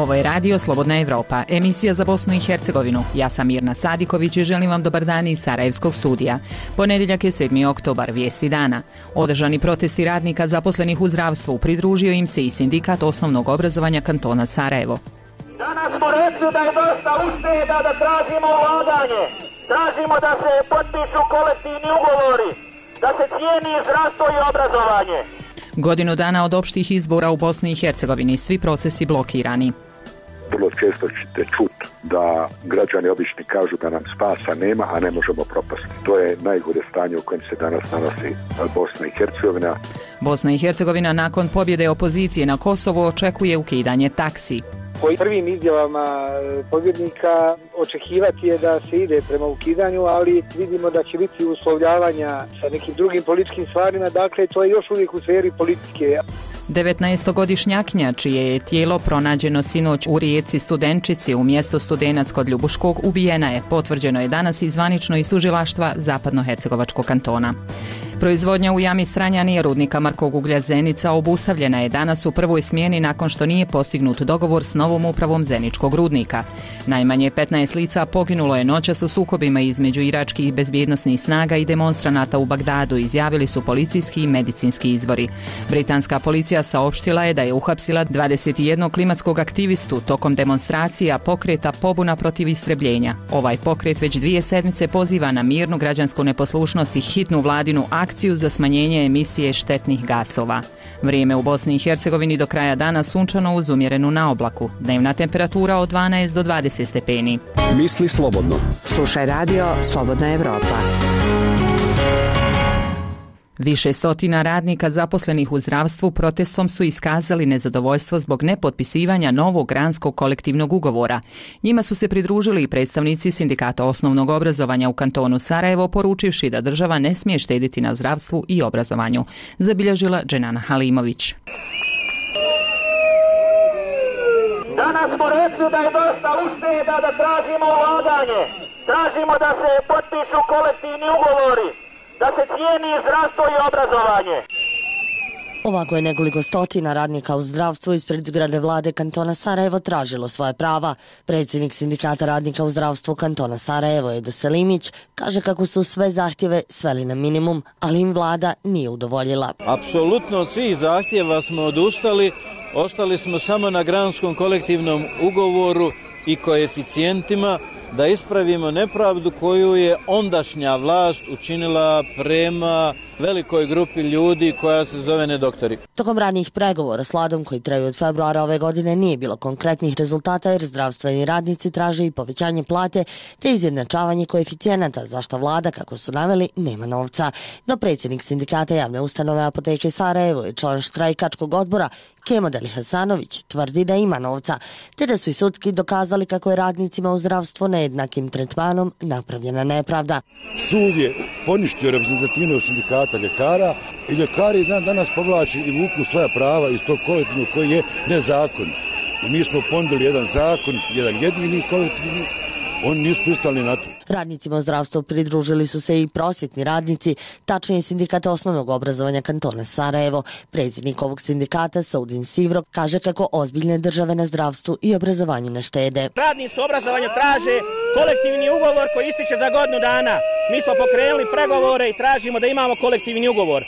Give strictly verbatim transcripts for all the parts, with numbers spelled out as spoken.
Ovo je Radio Slobodna Evropa, emisija za Bosnu i Hercegovinu. Ja sam Mirna Sadiković i želim vam dobar dan iz Sarajevskog studija. Ponedjeljak je sedmi oktobar, vijesti dana. Održani protesti radnika zaposlenih u zdravstvu, pridružio im se i sindikat osnovnog obrazovanja kantona Sarajevo. Danas smo rekli da je dosta ušteda, da tražimo ulaganje. Tražimo da se potpišu kolektivni ugovori, da se cijeni zdravstvo i obrazovanje. Godinu dana od opštih izbora u Bosni i Hercegovini, svi procesi blokirani. Vrlo često ćete čuti da građani obični kažu da nam spasa nema, a ne možemo propasti. To je najgore stanje u kojem se danas nalazi Bosna i Hercegovina. Bosna i Hercegovina nakon pobjede opozicije na Kosovu očekuje ukidanje taksi. Po prvim izjavama pobjednika očekivati je da se ide prema ukidanju, ali vidimo da će biti uslovljavanja sa nekim drugim političkim stvarima, dakle to je još uvijek u sferi politike. devetnaestogodišnjakinja čije je tijelo pronađeno sinoć u rijeci Studenčici u mjestu Studenac kod Ljubuškog ubijena je, potvrđeno je danas i zvanično iz tužilaštva Zapadnohercegovačkog kantona. Proizvodnja u jami Stranjani rudnika Markog uglja Zenica obustavljena je danas u prvoj smjeni nakon što nije postignut dogovor s novom upravom Zeničkog rudnika. Najmanje petnaest lica poginulo je noćas u sukobima između iračkih bezbjednosnih snaga i demonstranata u Bagdadu, izjavili su policijski i medicinski izvori. Britanska policija saopštila je da je uhapsila dvadeset jednog klimatskog aktivistu tokom demonstracija pokreta pobuna protiv istrebljenja. Ovaj pokret već dvije sedmice poziva na mirnu građansku neposlušnost i hitnu vladinu akciju za smanjenje emisije štetnih gasova. Vrijeme u Bosni i Hercegovini do kraja dana sunčano uz umjerenu naoblaku. Dnevna temperatura od dvanaest do dvadeset stepeni. Misli slobodno. Slušaj Radio Slobodna Evropa. Više stotina radnika zaposlenih u zdravstvu protestom su iskazali nezadovoljstvo zbog nepotpisivanja novog granskog kolektivnog ugovora. Njima su se pridružili i predstavnici sindikata osnovnog obrazovanja u kantonu Sarajevo, poručivši da država ne smije štediti na zdravstvu i obrazovanju, zabilježila Dženana Halimović. Danas smo rekli da je dosta ušteda, da tražimo ulaganje. Tražimo da se potpišu kolektivni ugovori, da se cijeni zdravstvo i obrazovanje. Ovako je nekoliko stotina radnika u zdravstvu ispred zgrade vlade kantona Sarajevo tražilo svoje prava. Predsjednik sindikata radnika u zdravstvu kantona Sarajevo, Edo Selimić, kaže kako su sve zahtjeve sveli na minimum, ali im vlada nije udovoljila. Apsolutno od svih zahtjeva smo odustali, ostali smo samo na granskom kolektivnom ugovoru i koeficijentima da ispravimo nepravdu koju je ondašnja vlast učinila prema velikoj grupi ljudi koja se zove nedoktori. Tokom ranijih pregovora s vladom koji traju od februara ove godine nije bilo konkretnih rezultata jer zdravstveni radnici traže i povećanje plate te izjednačavanje koeficijenata, za što vlada, kako su naveli, nema novca. No predsjednik sindikata javne ustanove Apoteke Sarajevo i član štrajkačkog odbora Kemo Deli Hasanović tvrdi da ima novca, te da su i sudski dokazali kako je radnicima u zdravstvu nejednakim tretmanom napravljena nepravda. Sud je poništio reprezentativnost sindikata ljekara i ljekari dan danas povlači i vuku svoja prava iz tog kolektivnog koji je nezakon. I mi smo ponudili jedan zakon, jedan jedini kolektivni, oni nisu pristali na to. Radnicima u zdravstvu pridružili su se i prosvjetni radnici, tačnije sindikat osnovnog obrazovanja kantona Sarajevo. Predsjednik ovog sindikata, Saudin Sivro, kaže kako ozbiljne države na zdravstvu i obrazovanju ne štede. Radnici u obrazovanju traže kolektivni ugovor koji ističe za godinu dana. Mi smo pokrenuli pregovore i tražimo da imamo kolektivni ugovor.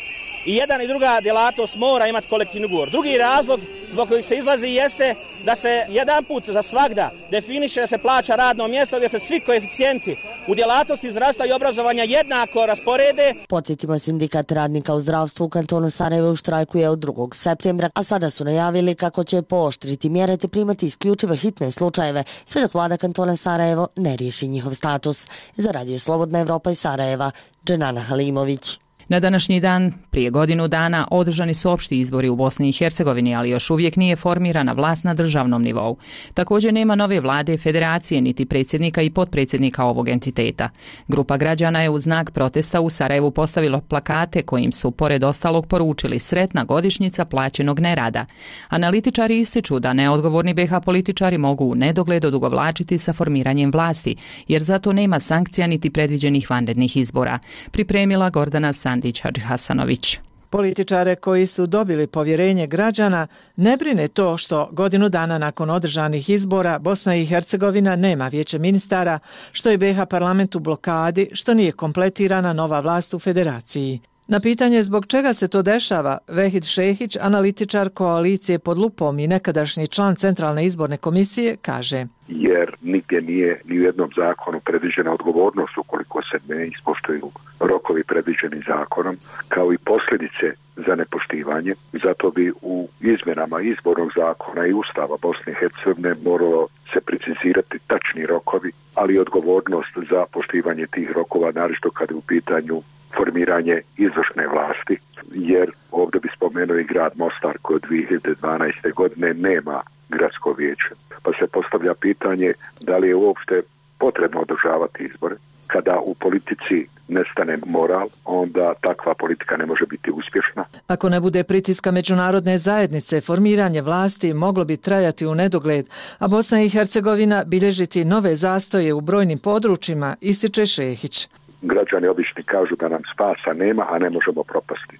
I jedan i druga djelatnost mora imati kolektivni ugovor. Drugi razlog zbog kojeg se izlazi jeste da se jedan put za svagda definiše da se plaća radno mjesto gdje se svi koeficijenti u djelatnosti zdravstva i obrazovanja jednako rasporede. Podsjetimo, sindikat radnika u zdravstvu u kantonu Sarajevo štrajkuje od drugog septembra, a sada su najavili kako će pooštriti mjere te primati isključivo hitne slučajeve, sve dok vlada kantona Sarajevo ne riješi njihov status. Za Radio Slobodna Evropa iz Sarajeva, Dženana Halimović. Na današnji dan, prije godinu dana, održani su opšti izbori u Bosni i Hercegovini, ali još uvijek nije formirana vlast na državnom nivou. Također nema nove vlade, federacije, niti predsjednika i potpredsjednika ovog entiteta. Grupa građana je u znak protesta u Sarajevu postavila plakate kojim su, pored ostalog, poručili sretna godišnjica plaćenog nerada. Analitičari ističu da neodgovorni be ha političari mogu u nedogled odugovlačiti sa formiranjem vlasti, jer zato nema sankcija niti predviđenih vanrednih izbora. Pripremila Gordana Sandić Hadži Hasanović. Političare koji su dobili povjerenje građana ne brine to što godinu dana nakon održanih izbora Bosna i Hercegovina nema vijeće ministara, što je B iH parlament u blokadi, što nije kompletirana nova vlast u federaciji. Na pitanje zbog čega se to dešava, Vehid Šehić, analitičar koalicije Pod lupom i nekadašnji član Centralne izborne komisije, kaže: jer nigdje nije ni u jednom zakonu predviđena odgovornost ukoliko se ne ispoštuju rokovi predviđeni zakonom, kao i posljedice za nepoštivanje. Zato bi u izmjenama izbornog zakona i Ustava Bosne i Hercegovine moralo se precizirati tačni rokovi, ali i odgovornost za poštivanje tih rokova, naročito kad je u pitanju formiranje izvršne vlasti, jer ovdje bi spomenuo i grad Mostar koji od dvije hiljade dvanaeste. godine nema gradsko vijeće. Pa se postavlja pitanje da li je uopšte potrebno održavati izbore. Kada u politici nestane moral, onda takva politika ne može biti uspješna. Ako ne bude pritiska međunarodne zajednice, formiranje vlasti moglo bi trajati u nedogled, a Bosna i Hercegovina bilježiti nove zastoje u brojnim područjima, ističe Šehić. Građani obični kažu da nam spasa nema, a ne možemo propasti.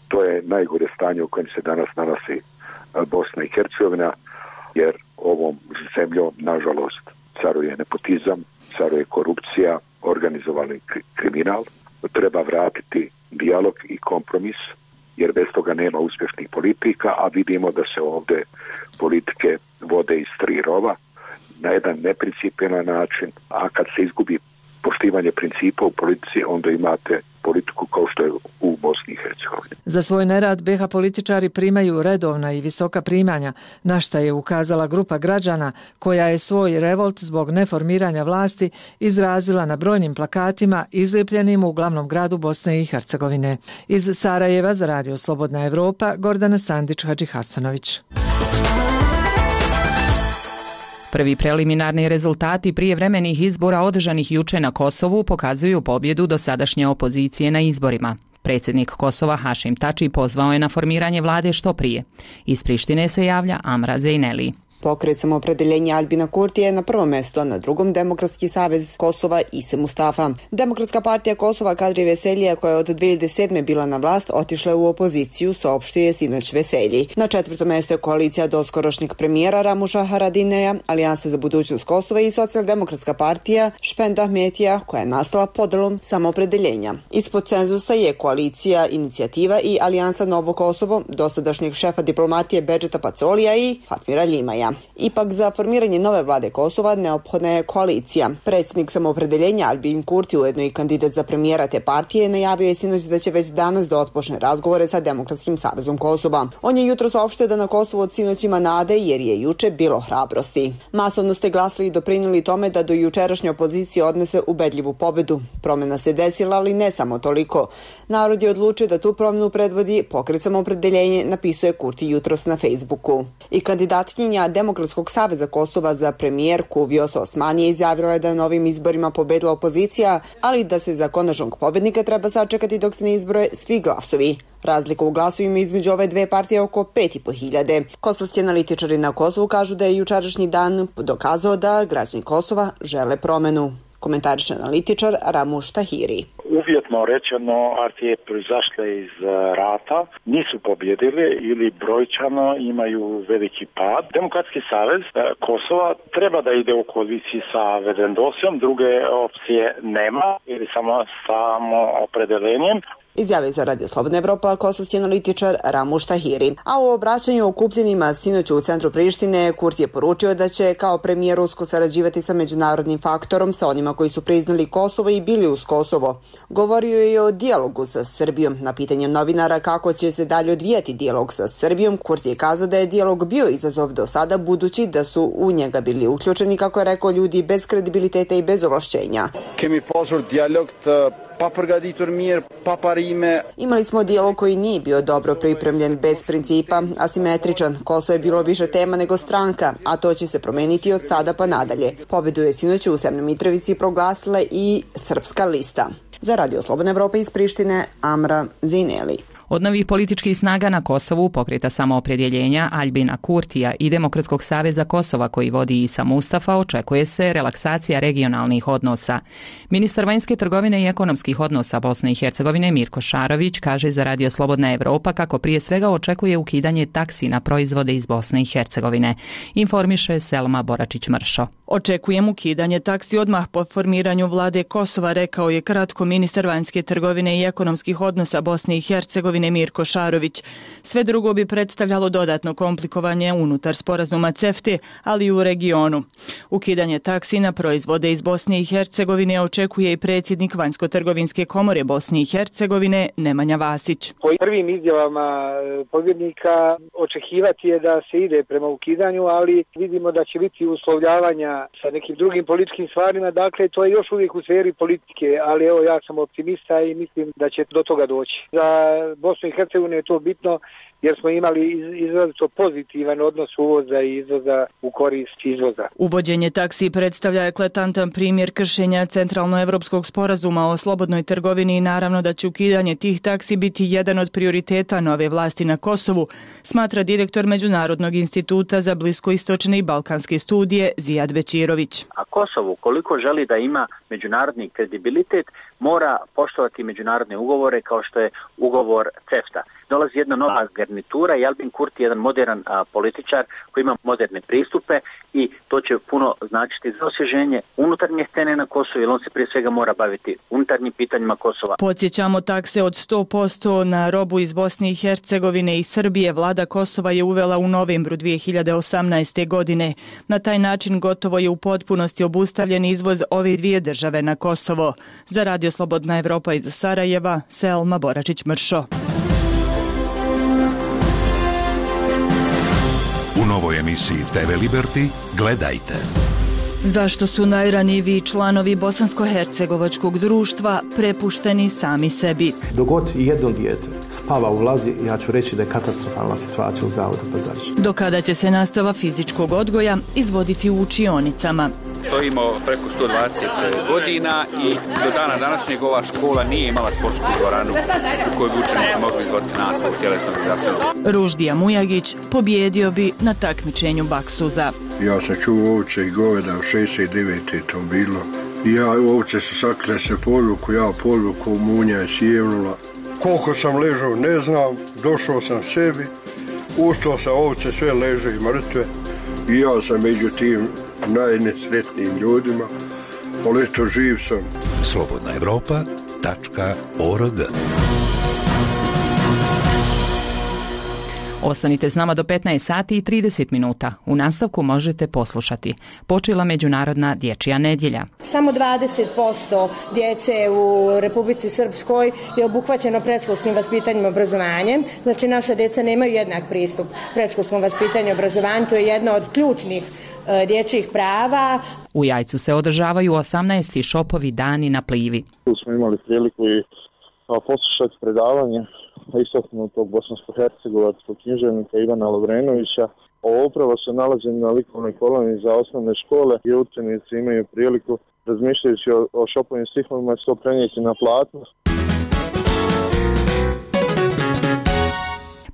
To je najgore stanje u kojem se danas nalazi Bosna i Hercegovina, jer ovom zemljom, nažalost, caruje nepotizam, caruje korupcija, organizovani kriminal. Treba vratiti dijalog i kompromis, jer bez toga nema uspješnih politika, a vidimo da se ovdje politike vode iz tri rova na jedan neprincipijelan način, a kad se izgubi poštivanje principa u politici, onda imate politiku kao što je u Bosni i Hercegovini. Za svoj nerad B iH političari primaju redovna i visoka primanja, na šta je ukazala grupa građana koja je svoj revolt zbog neformiranja vlasti izrazila na brojnim plakatima izlijepljenim u glavnom gradu Bosne i Hercegovine. Iz Sarajeva za Radio Slobodna Evropa, Gordana Sandić Hadžihasanović. Prvi preliminarni rezultati prijevremenih izbora održanih juče na Kosovu pokazuju pobjedu dosadašnje opozicije na izborima. Predsjednik Kosova Hašim Tači pozvao je na formiranje vlade što prije. Iz Prištine se javlja Amra Zejneli. Pokret Samoopredeljenja Albina Kurtija je na prvom mjestu, a na drugom Demokratski savez Kosova Ise Mustafa. Demokratska partija Kosova Kadri Veselija, koja je od dvije hiljade sedme bila na vlast, otišla u opoziciju, saopštio je sinoć Veselji. Na četvrtom mjestu je koalicija doskorošnjeg premijera Ramuša Haradineja, Alijansa za budućnost Kosova i Socijaldemokratska partija Špenda Ahmetija, koja je nastala podelom Samoopredeljenja. Ispod cenzusa je koalicija Inicijativa i Alijansa Novo Kosovo, dosadašnjeg šefa diplomatije Bedžeta Pacolija i Fatmira Ljimaja. Ipak za formiranje nove vlade Kosova neophodna je koalicija. Predsjednik Samoopredeljenja Albin Kurti, ujedno i kandidat za premijera te partije, najavio je sinoć da će već danas da otpočne razgovore sa Demokratskim savezom Kosova. On je jutro saopštio da na Kosovu od sinoć ima nade jer je juče bilo hrabrosti. Masovno ste glasili i doprinijeli tome da do jučerašnje opozicije odnese ubedljivu pobedu. Promjena se desila, ali ne samo toliko. Narod je odlučio da tu promjenu predvodi Pokret Samoopredeljenje, napisuje Kurti jutros na Facebooku. I kandidatkinja Demokratskog saveza Kosova za premijerku Vjosa Osmani je izjavila da je na ovim izborima pobedila opozicija, ali da se za konačnog pobednika treba sačekati dok se ne izbroje svi glasovi. Razlika u glasovima između ove dve partije je oko pet i po hiljade. Kosovski analitičari na Kosovu kažu da je jučerašnji dan dokazao da građani Kosova žele promenu. Komentariše analitičar Ramuš Tahiri. Uvjetno rečeno, partije proizašle iz rata nisu pobjedile ili brojčano imaju veliki pad. Demokratski savez Kosova treba da ide u koaliciji sa Vedendosijom, druge opcije nema ili samo samo opredelenjem. Izjavio za Radio Slobodna Evropa kosovski analitičar Ramuš Tahiri. A u obraćanju okupljenima sinoć u centru Prištine, Kurti je poručio da će kao premijer usko sarađivati sa međunarodnim faktorom, sa onima koji su priznali Kosovo i bili uz Kosovo. Govorio je o dijalogu sa Srbijom. Na pitanje novinara kako će se dalje odvijati dijalog sa Srbijom, Kurti je kazao da je dijalog bio izazov do sada, budući da su u njega bili uključeni, kako je rekao, ljudi bez kredibiliteta i bez ovlašćenja. Kemi pasur dijalog të papërgatitur mirë, pa parime. Imali smo dijalog koji nije bio dobro pripremljen, bez principa, asimetričan. Kosovo je bilo više tema nego stranka, a to će se promeniti od sada pa nadalje. Pobedu je sinoć u Severnoj Mitrovici proglasila i Srpska lista. Za Radio Slobodna Evropa iz Prištine, Amra Zejneli. Od novih političkih snaga na Kosovu, Pokreta samoopredjeljenja Aljbina Kurtija i Demokratskog saveza Kosova koji vodi Isa Mustafa, očekuje se relaksacija regionalnih odnosa. Ministar vanjske trgovine i ekonomskih odnosa Bosne i Hercegovine Mirko Šarović kaže za Radio Slobodna Evropa kako prije svega očekuje ukidanje taksi na proizvode iz Bosne i Hercegovine. Informiše Selma Boračić-Mršo. Očekujem ukidanje taksi odmah po formiranju vlade Kosova, rekao je kratko ministar vanjske trgovine i ekonomskih odnosa Bosne i Hercegovine Mirko Šarović. Sve drugo bi predstavljalo dodatno komplikovanje unutar sporazuma CEFTA, ali i u regionu. Ukidanje taksi na proizvode iz Bosne i Hercegovine očekuje i predsjednik Vanjsko-trgovinske komore Bosne i Hercegovine Nemanja Vasić. Po prvim izjavama pobjednika očekivati je da se ide prema ukidanju, ali vidimo da će biti uslovljavanja sa nekim drugim političkim stvarima, dakle to je još uvijek u sferi politike, ali evo ja sam optimista i mislim da će do toga doći. Za Bosnu i Hercegovinu je to bitno jer smo imali izrazito pozitivan odnos uvoza i izvoza u korist izvoza. Uvođenje taksi predstavlja eklatantan primjer kršenja Centralnoevropskog sporazuma o slobodnoj trgovini i naravno da će ukidanje tih taksi biti jedan od prioriteta nove vlasti na Kosovu, smatra direktor Međunarodnog instituta za bliskoistočne i balkanske studije Zijad Bečirović. A Kosovo, koliko želi da ima međunarodni kredibilitet, mora poštovati međunarodne ugovore kao što je ugovor CEFTA. Dolazi jedna nova garnitura i Aljbin Kurti je jedan modern a, političar koji ima moderne pristupe i to će puno značiti za osvježenje unutarnje scene na Kosovu, jer on se prije svega mora baviti unutarnjim pitanjima Kosova. Podsjećamo, takse od sto posto na robu iz Bosne i Hercegovine i Srbije vlada Kosova je uvela u novembru dvije hiljade osamnaeste. godine. Na taj način gotovo je u potpunosti obustavljen izvoz ove dvije države na Kosovo. Za Radio Slobodna Evropa iz Sarajeva, Selma Boračić-Mršo. U novoj emisiji T V Liberty gledajte. Zašto su najranjiviji članovi bosansko-hercegovačkog društva prepušteni sami sebi? Dogod jedno dijete spava u vlazi, ja ću reći da je katastrofalna situacija u Zavodu Pazarić. Do kada će se nastava fizičkog odgoja izvoditi u učionicama? Stojimo preko sto dvadeset godina i do dana današnjeg ova škola nije imala sportsku dvoranu u kojoj bi učenici mogli izvoditi nastavu tjelesnog izasljena. Ruždija Mujagić pobjedio bi na takmičenju baksuza. Ja sam čuo ovce i goveda u šezdeset devete to bilo. Ja ovce su sakle se podvuku, ja podvuku, munja je sjevnula. Koliko sam ležao ne znam, došao sam sebi, ustao sam, ovce sve leže i mrtve. I ja sam među tim najnesretnijim ljudima, ali eto živ sam. slobodna evropa tačka org. Ostanite s nama do petnaest sati i trideset minuta. U nastavku možete poslušati. Počela Međunarodna dječja nedjelja. Samo dvadeset posto djece u Republici Srpskoj je obuhvaćeno predškolskim vaspitanjem i obrazovanjem. Znači naša djeca nemaju jednak pristup predškolskom vaspitanju i obrazovanju. To je jedna od ključnih e, dječjih prava. U Jajcu se održavaju osamnaesti šopovi dani na Plivi. Tu smo imali priliku i poslušati predavanje istaknutog bosansko-hercegovačkog književnika Ivana Lovrenovića. Ovo upravo se nalazi na likovnoj koloni za osnovne škole i učenici imaju priliku, razmišljajući o, o šopovim stihovima, to prenijeti na platno.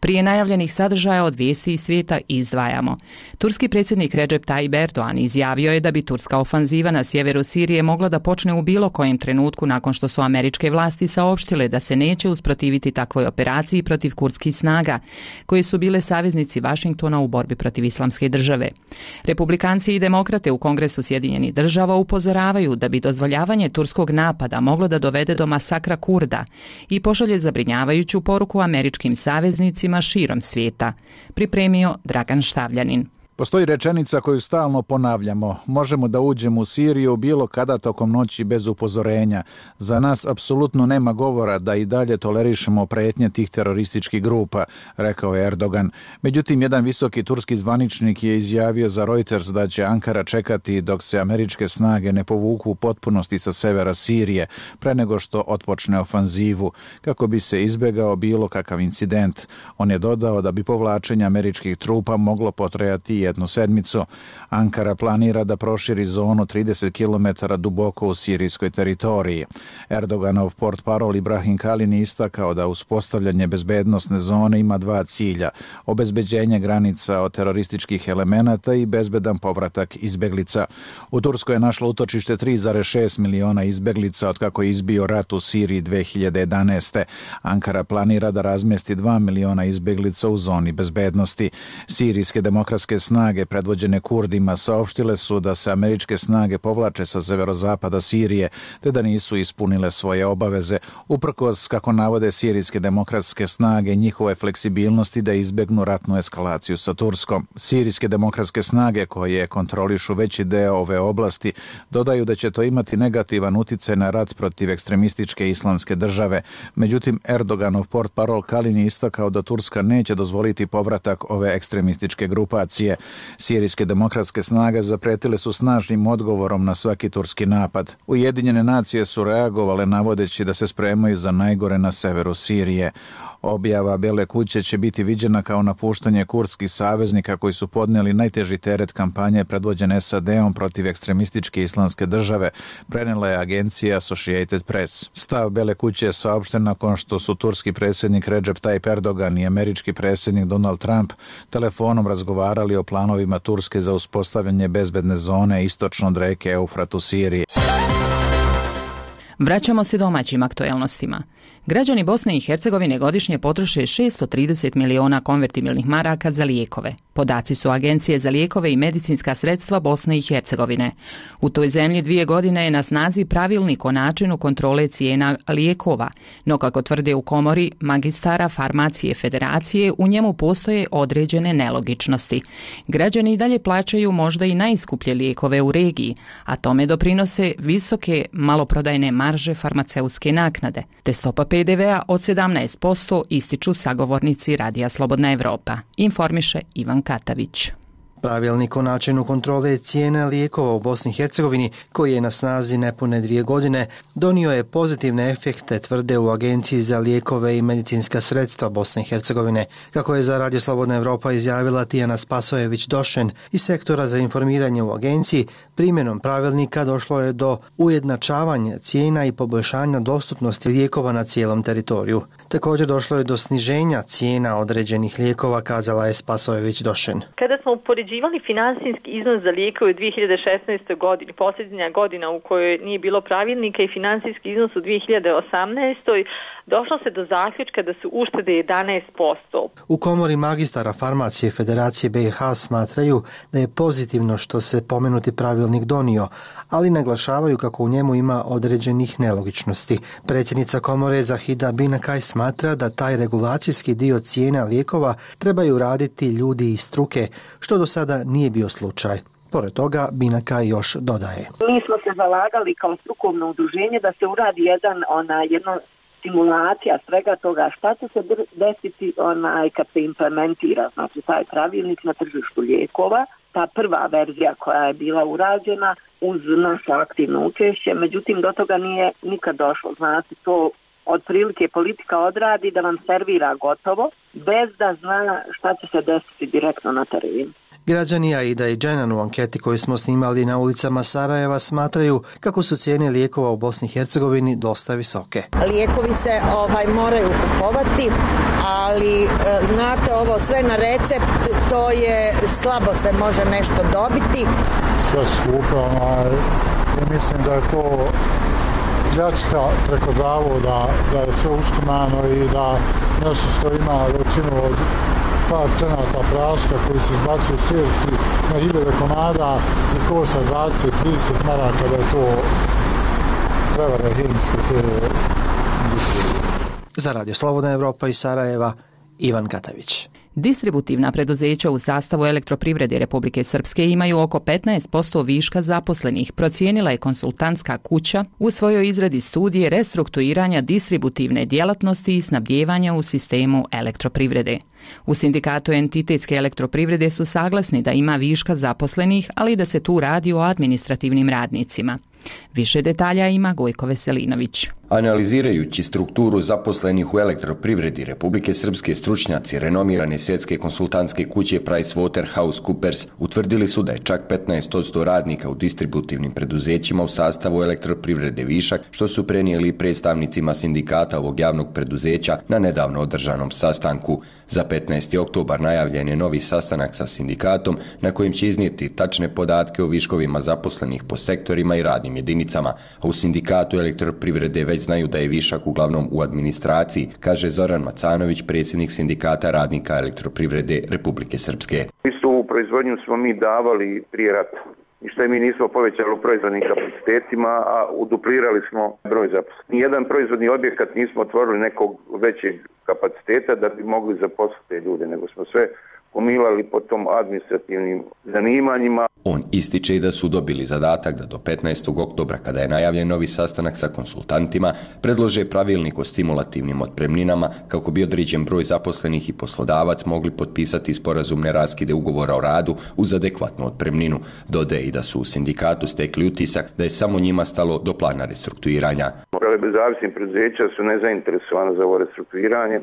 Prije najavljenih sadržaja od vijesti iz svijeta izdvajamo. Turski predsjednik Recep Tayyip Erdogan izjavio je da bi turska ofanziva na sjeveru Sirije mogla da počne u bilo kojem trenutku nakon što su američke vlasti saopštile da se neće usprotiviti takvoj operaciji protiv kurdskih snaga, koje su bile saveznici Vašingtona u borbi protiv islamske države. Republikanci i demokrate u Kongresu Sjedinjenih država upozoravaju da bi dozvoljavanje turskog napada moglo da dovede do masakra Kurda i pošalje zabrinjavajuću poruku američkim saveznicima širom svijeta. Pripremio Dragan Štavljanin. Postoji rečenica koju stalno ponavljamo. Možemo da uđemo u Siriju bilo kada tokom noći bez upozorenja. Za nas apsolutno nema govora da i dalje tolerišemo prijetnje tih terorističkih grupa, rekao je Erdogan. Međutim, jedan visoki turski zvaničnik je izjavio za Reuters da će Ankara čekati dok se američke snage ne povuku u potpunosti sa severa Sirije, pre nego što otpočne ofanzivu, kako bi se izbegao bilo kakav incident. On je dodao da bi povlačenje američkih trupa moglo potrajati jednu sedmicu. Ankara planira da proširi zonu trideset kilometara duboko u sirijskoj teritoriji. Erdoganov portparol Ibrahim Kalin istakao da uspostavljanje bezbednosne zone ima dva cilja: obezbeđenje granica od terorističkih elemenata i bezbedan povratak izbeglica. U Turskoj je našlo utočište tri zarez šest miliona izbeglica od kako je izbio rat u Siriji dve hiljade jedanaeste. Ankara planira da razmjesti dva miliona izbeglica u zoni bezbednosti. Sirijske demokratske snage predvođene Kurdima saopštile su da se američke snage povlače sa severozapada Sirije te da nisu ispunile svoje obaveze, uprkos, kako navode sirijske demokratske snage, njihove fleksibilnosti da izbegnu ratnu eskalaciju sa Turskom. Sirijske demokratske snage, koje kontrolišu veći deo ove oblasti, dodaju da će to imati negativan uticaj na rat protiv ekstremističke islamske države. Međutim, Erdoganov portparol Kalin je istakao da Turska neće dozvoliti povratak ove ekstremističke grupacije. Sirijske demokratske snage zapretile su snažnim odgovorom na svaki turski napad. Ujedinjene nacije su reagovale navodeći da se spremaju za najgore na severu Sirije. Objava Bele kuće će biti viđena kao napuštanje kurdskih saveznika koji su podnijeli najteži teret kampanje predvođene S A D-om protiv ekstremističke islamske države, prenela je agencija Associated Press. Stav Bele kuće je saopšten nakon što su turski predsjednik Recep Tayyip Erdogan i američki predsjednik Donald Trump telefonom razgovarali o planovima Turske za uspostavljanje bezbedne zone istočno od reke Eufrat u Siriji. Vraćamo se domaćim aktuelnostima. Građani Bosne i Hercegovine godišnje potroše šessto trideset miliona konvertibilnih maraka za lijekove. Podaci su Agencije za lijekove i medicinska sredstva Bosne i Hercegovine. U toj zemlji dvije godine je na snazi pravilnik o načinu kontrole cijena lijekova, no kako tvrde u komori magistara farmacije federacije, u njemu postoje određene nelogičnosti. Građani i dalje plaćaju možda i najskuplje lijekove u regiji, a tome doprinose visoke maloprodajne marže farmaceutske naknade, te stopa P D V-a od sedamnaest posto, ističu sagovornici Radija Slobodna Evropa, informiše Ivan Katavić. Pravilnik o načinu kontrole cijena lijekova u Bosni i Hercegovini, koji je na snazi nepune dvije godine, donio je pozitivne efekte, tvrde u Agenciji za lijekove i medicinska sredstva Bosne i Hercegovine. Kako je za Radio Slobodna Evropa izjavila Tijana Spasojević-Došen iz sektora za informiranje u agenciji, primjenom pravilnika došlo je do ujednačavanja cijena i poboljšanja dostupnosti lijekova na cijelom teritoriju. Također došlo je do sniženja cijena određenih lijekova, kazala je Spasojević-Došen. Kada smo upoređivali finansijski iznos za lijekove u dvije hiljade šesnaestoj. godini, posljednja godina u kojoj nije bilo pravilnika, i finansijski iznos u dvije hiljade osamnaestoj. došlo se do zaključka da su uštede jedanaest posto. U komori magistara farmacije Federacije B i H smatraju da je pozitivno što se pomenuti pravilnik donio, ali naglašavaju kako u njemu ima određenih nelogičnosti. Predsjednica komore Zahida Binakaj smatra da taj regulacijski dio cijena lijekova trebaju raditi ljudi iz struke, što do sada nije bio slučaj. Pored toga, Binakaj još dodaje. Mi smo se zalagali kao strukovno udruženje da se uradi jedan, ona, jedno simulacija svega toga šta će se desiti onaj kad se implementira, znači taj pravilnik na tržištu lijekova. Ta prva verzija koja je bila urađena uz naše aktivno učešće, međutim do toga nije nikad došlo. Znači to otprilike politika odradi da vam servira gotovo, bez da zna šta će se desiti direktno na terenu. Građani Aida i Dženan u anketi koju smo snimali na ulicama Sarajeva smatraju kako su cijene lijekova u Bosni i Hercegovini dosta visoke. Lijekovi se ovaj moraju kupovati, ali e, znate ovo sve na recept, to je slabo se može nešto dobiti. Sve skupo, i mislim da je to pljačka preko zavoda, da je sve uštimano i da nešto što ima većinu od par cenata praška koji se izbacuju sirski na hiljade komada i košta dvadeset do trideset maraka, da je to prevara hemijske te industrije. Za Radio Slobodna Evropa iz Sarajeva, Ivan Katavić. Distributivna preduzeća u sastavu Elektroprivrede Republike Srpske imaju oko petnaest posto viška zaposlenih, procijenila je konsultantska kuća u svojoj izradi studije restrukturiranja distributivne djelatnosti i snabdijevanja u sistemu elektroprivrede. U sindikatu entitetske elektroprivrede su saglasni da ima viška zaposlenih, ali da se tu radi o administrativnim radnicima. Više detalja ima Gojko Veselinović. Analizirajući strukturu zaposlenih u elektroprivredi Republike Srpske, stručnjaci renomirane svjetske konsultantske kuće PricewaterhouseCoopers utvrdili su da je čak petnaest posto radnika u distributivnim preduzećima u sastavu elektroprivrede višak, što su prenijeli predstavnicima sindikata ovog javnog preduzeća na nedavno održanom sastanku. Za petnaesti oktobar najavljen je novi sastanak sa sindikatom na kojem će iznijeti tačne podatke o viškovima zaposlenih po sektorima i radnim jedinicama, a u sindikatu elektroprivrede već znaju da je višak uglavnom u administraciji, kaže Zoran Macanović, predsjednik sindikata radnika elektroprivrede Republike Srpske. Istu ovu proizvodnju smo mi davali prije rata. I što je mi nismo povećali u proizvodnim kapacitetima, a uduplirali smo broj zaposlenih. Nijedan proizvodni objekat nismo otvorili nekog većeg kapaciteta da bi mogli zaposliti te ljude, nego smo sve pomilali po tom administrativnim zanimanjima. On ističe i da su dobili zadatak da do petnaestog oktobra, kada je najavljen novi sastanak sa konsultantima, predlože pravilnik o stimulativnim otpremninama kako bi određen broj zaposlenih i poslodavac mogli potpisati sporazumne raskide ugovora o radu uz adekvatnu otpremninu. Dodaje i da su u sindikatu stekli utisak da je samo njima stalo do plana restrukturiranja. Zavisni preduzeća su nezainteresovane za ovo restrukturiranje,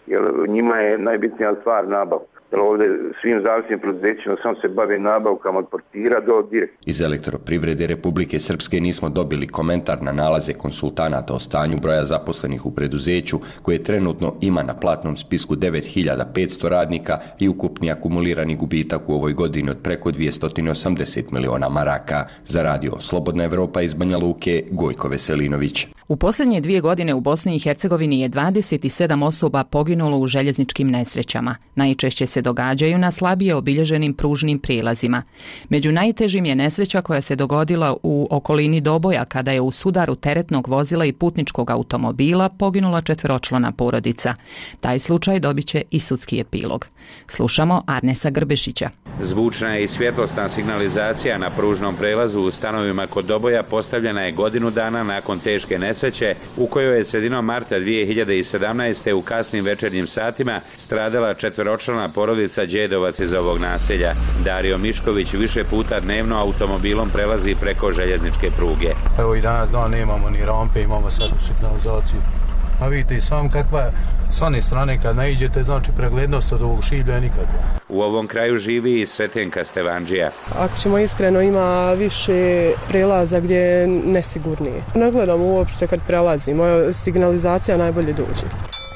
jer njima je najbitnija stvar nabavka. Ovdje svim zavisnim preduzećima samo se bave nabavkama od portira do direktora. Iz elektroprivrede Republike Srpske nismo dobili komentar na nalaze konsultanata o stanju broja zaposlenih u preduzeću, koje trenutno ima na platnom spisku devet hiljada petsto radnika i ukupni akumulirani gubitak u ovoj godini od preko dvjesto osamdeset miliona maraka. Za radio Slobodna Evropa iz Banja Luke, Gojko Veselinović. U posljednje dvije godine u Bosni i Hercegovini je dvadeset sedam osoba poginulo u željezničkim nesrećama. Najčešće se događaju na slabije obilježenim pružnim prijelazima. Među najtežim je nesreća koja se dogodila u okolini Doboja, kada je u sudaru teretnog vozila i putničkog automobila poginula četveročlana porodica. Taj slučaj dobit će i sudski epilog. Slušamo Arnesa Grbešića. Zvučna i svjetlosna signalizacija na pružnom prelazu u stanovima kod Doboja postavljena je godinu dana nakon teške nesreće u kojoj je sredinom marta dvije hiljade sedamnaeste. u kasnim večernjim satima stradala četveročlana porodica Đedovac iz ovog naselja. Dario Mišković više puta dnevno automobilom prelazi preko željezničke pruge. Evo i danas dan nemamo ni rampe, imamo sad u signalizaciju. A vidite i sam kakva je s one strane kad naiđete, znači preglednost od ovog šiblja je nikakva. U ovom kraju živi i Sretenka Stevanđija. Ako ćemo iskreno, ima više prelaza gdje je nesigurnije. Ne gledam uopšte kad prelazimo, signalizacija najbolje dođe.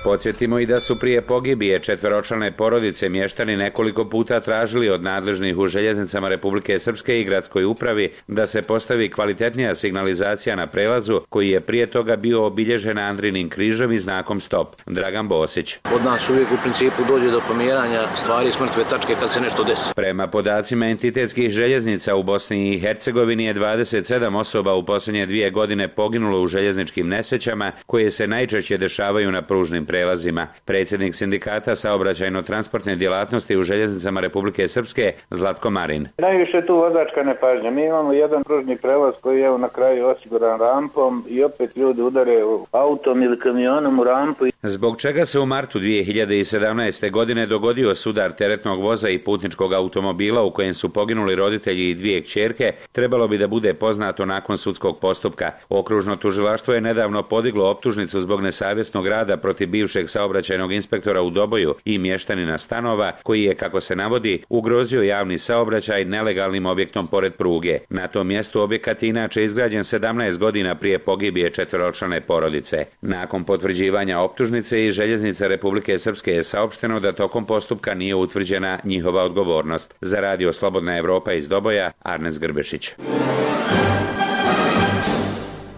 Podsjetimo i da su prije pogibije četveročlane porodice mještani nekoliko puta tražili od nadležnih u željeznicama Republike Srpske i gradskoj upravi da se postavi kvalitetnija signalizacija na prelazu koji je prije toga bio obilježen Andrinim križom i znakom stop. Dragan Bosić. Od nas uvijek u principu dođe do pomjeranja stvari s mrtve tačke kad se nešto desi. Prema podacima entitetskih željeznica u Bosni i Hercegovini je dvadeset sedam osoba u posljednje dvije godine poginulo u željezničkim nesrećama koje se najčešće dešavaju na pružnim prelazima. Predsjednik sindikata saobraćajno-transportne djelatnosti u željeznicama Republike Srpske Zlatko Marin. Najviše je tu vozačka nepažnja. Mi imamo jedan pružni prelaz koji je na kraju osiguran rampom i opet ljudi udare autom ili kamionom u rampu. Zbog čega se u martu dvije hiljade sedamnaeste. godine dogodio sudar teretnog voza i putničkog automobila u kojem su poginuli roditelji i dvije kćerke, trebalo bi da bude poznato nakon sudskog postupka. Okružno tužilaštvo je nedavno podiglo optužnicu zbog nesavjesnog rada protiv bivšeg saobraćajnog inspektora u Doboju i mještanina stanova, koji je, kako se navodi, ugrozio javni saobraćaj nelegalnim objektom pored pruge. Na tom mjestu objekat je inače izgrađen sedamnaest godina prije pogibije četveročlane porodice. Nakon potvrđivanja optužnice iz željeznica Republike Srpske je saopšteno da tokom postupka nije utvrđena njihova odgovornost. Za radio Slobodna Evropa iz Doboja, Arnes Grbešić.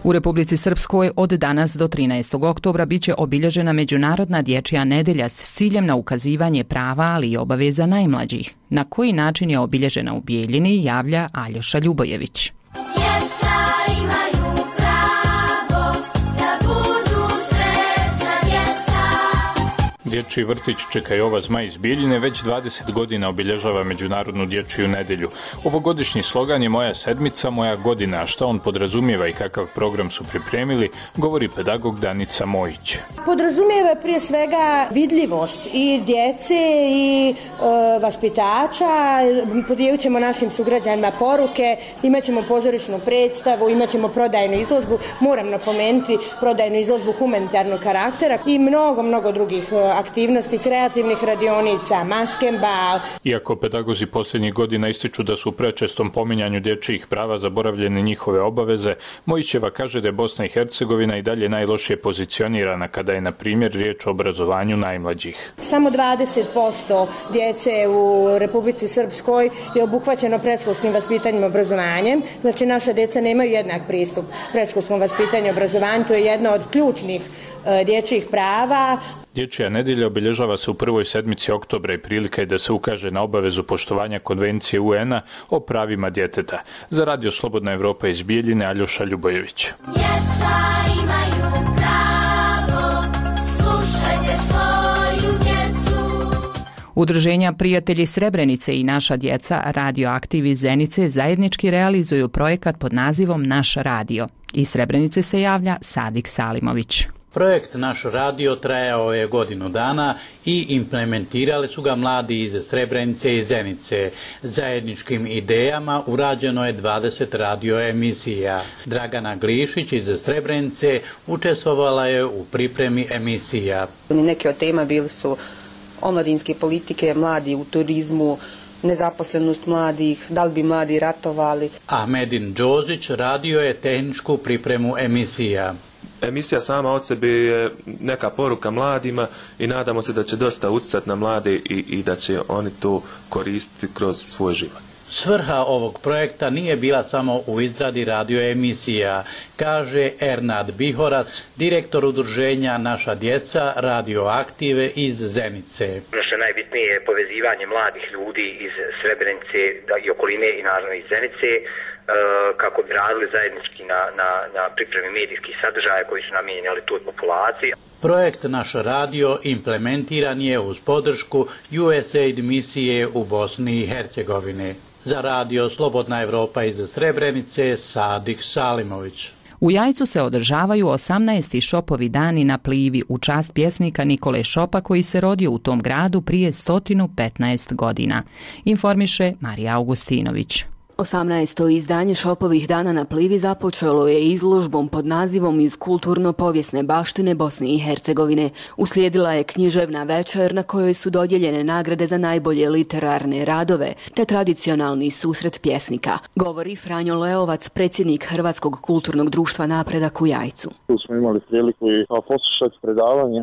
U Republici Srpskoj od danas do trinaestog oktobra biće obilježena Međunarodna dječja nedelja s ciljem na ukazivanje prava, ali i obaveza najmlađih. Na koji način je obilježena u Bijeljini, javlja Aljoša Ljubojević. Dječji vrtić Čeka Jova Zmaj iz Bijeljine već dvadeset godina obilježava Međunarodnu dječju nedjelju. Ovogodišnji slogan je Moja sedmica, moja godina, a šta on podrazumijeva i kakav program su pripremili, govori pedagog Danica Mojić. Podrazumijeva prije svega vidljivost i djece i e, vaspitača, podijelit ćemo našim sugrađanima poruke, imat ćemo pozorišnu predstavu, imat ćemo prodajnu izložbu, moram napomenuti prodajnu izložbu humanitarnog karaktera i mnogo, mnogo drugih aktivnosti, kreativnih radionica, maskemba. Iako pedagozi posljednjih godina ističu da su u prečestom pominjanju dječjih prava zaboravljene njihove obaveze, Mojićeva kaže da je Bosna i Hercegovina i dalje najlošije pozicionirana kada je, na primjer, riječ o obrazovanju najmlađih. Samo dvadeset posto djece u Republici Srpskoj je obuhvaćeno predškolskim vaspitanjem i obrazovanjem. Znači, naša djeca nemaju jednak pristup predškolskom vaspitanju i obrazovanju. To je jedna od ključnih e, dječjih prava. Dječja nedjelja obilježava se u prvoj sedmici oktobra i prilika je da se ukaže na obavezu poštovanja konvencije U N-a o pravima djeteta. Za Radio Slobodna Evropa iz Bijeljine, Aljoša Ljubojević. Djeca imaju pravo, slušajte svoju djecu. Udruženja Prijatelji Srebrenice i Naša djeca Radioaktiv iz Zenice zajednički realizuju projekat pod nazivom Naš radio. Iz Srebrenice se javlja Sadik Salimović. Projekt Naš radio trajao je godinu dana i implementirali su ga mladi iz Srebrenice i Zenice. Zajedničkim idejama urađeno je dvadeset radio emisija. Dragana Glišić iz Srebrenice učestvovala je u pripremi emisija. Neke od tema bili su omladinske politike, mladi u turizmu, nezaposlenost mladih, da li bi mladi ratovali. Ahmedin Đozić radio je tehničku pripremu emisija. Emisija sama od sebe je neka poruka mladima i nadamo se da će dosta utjecati na mlade i, i da će oni to koristiti kroz svoj život. Svrha ovog projekta nije bila samo u izradi radioemisija, kaže Ernad Bihorac, direktor udruženja Naša djeca Radioaktive iz Zenice. Ono što je najbitnije je povezivanje mladih ljudi iz Srebrenice i okoline i naravno iz Zenice, kako bi radili zajednički na, na, na pripremi medijskih sadržaja koji su namijenjeni toj populaciji. Projekt Naš radio implementiran je uz podršku U S A I D misije u Bosni i Hercegovini. Za Radio Slobodna Evropa iz Srebrenice, Sadik Salimović. U Jajcu se održavaju osamnaesti Šopovi dani na Plivi u čast pjesnika Nikole Šopa koji se rodio u tom gradu prije sto petnaest godina, informiše Marija Augustinović. osamnaesto izdanje Šopovih dana na Plivi započelo je izložbom pod nazivom Iz kulturno-povijesne baštine Bosne i Hercegovine. Uslijedila je književna večer na kojoj su dodijeljene nagrade za najbolje literarne radove te tradicionalni susret pjesnika, govori Franjo Leovac, predsjednik Hrvatskog kulturnog društva Napredak u Jajcu. Tu smo imali priliku i poslušati predavanje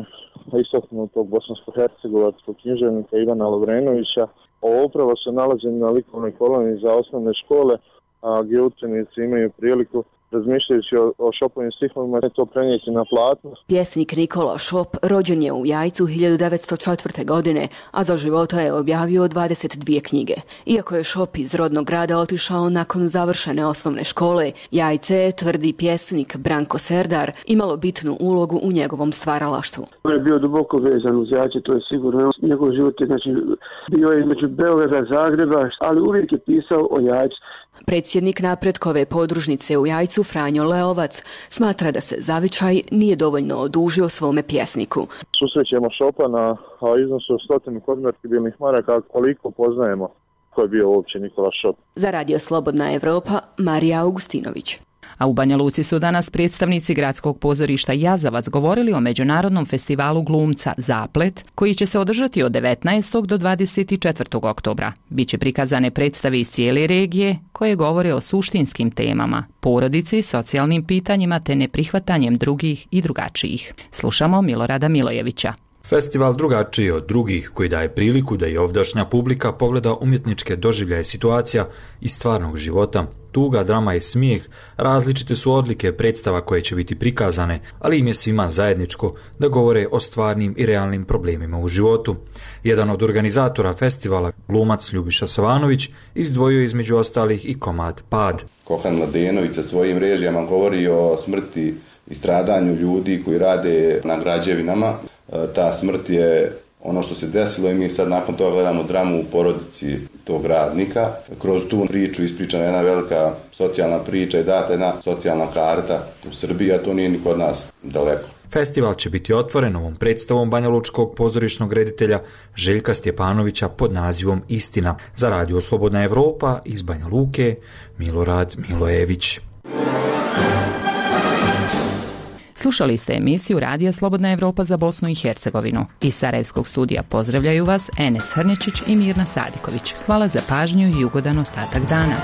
istaknutog bosansko-hercegovačkog književnika Ivana Lovrenovića o upravo se nalaženju na likovnoj koloniji za osnovne škole, a gdje učenici imaju priliku, razmišljajući o, o Šopovim stihovima, to prenijeti na platno. Pjesnik Nikola Šop rođen je u Jajcu hiljadu devetsto četvrte. godine, a za života je objavio dvadeset dvije knjige. Iako je Šop iz rodnog grada otišao nakon završene osnovne škole, Jajce, tvrdi pjesnik Branko Serdar, imalo bitnu ulogu u njegovom stvaralaštvu. On je bio duboko vezan uz Jajce, to je sigurno. Njegov život je, znači, bio je između Beograda, Zagreba, ali uvijek je pisao o Jajcu. Predsjednik Napredkove podružnice u Jajcu Franjo Leovac smatra da se zavičaj nije dovoljno odužio svome pjesniku. Susrećemo Šopa na iznosu od stotinu konvertibilnih maraka, koliko poznajemo ko je bio uopće Nikola Šop. Za Radio Slobodna Evropa, Marija Augustinović. A u Banja Luci su danas predstavnici gradskog pozorišta Jazavac govorili o Međunarodnom festivalu glumca Zaplet, koji će se održati od devetnaestog do dvadeset četvrtog oktobra. Biće prikazane predstave iz cijele regije koje govore o suštinskim temama, porodici, socijalnim pitanjima te neprihvatanjem drugih i drugačijih. Slušamo Milorada Milojevića. Festival drugačiji od drugih koji daje priliku da i ovdašnja publika pogleda umjetničke doživljaje situacija iz stvarnog života. Tuga, drama i smijeh, različite su odlike predstava koje će biti prikazane, ali im je svima zajedničko da govore o stvarnim i realnim problemima u životu. Jedan od organizatora festivala, glumac Ljubiša Savanović, izdvojio između ostalih i komad Pad. Kohan Mladenović sa svojim režijama govori o smrti i stradanju ljudi koji rade na građevinama. Ta smrt je ono što se desilo i mi sad nakon toga gledamo dramu u porodici tog radnika. Kroz tu priču ispričana jedna velika socijalna priča i data jedna socijalna karta u Srbiji, a to nije ni kod nas daleko. Festival će biti otvoren ovom predstavom banjalučkog pozorišnog reditelja Željka Stjepanovića pod nazivom Istina. Za Radio Slobodna Evropa iz Banja Luke, Milorad Milojević. Slušali ste emisiju Radija Slobodna Evropa za Bosnu i Hercegovinu. Iz Sarajevskog studija pozdravljaju vas Enes Hrnečić i Mirna Sadiković. Hvala za pažnju i ugodan ostatak dana.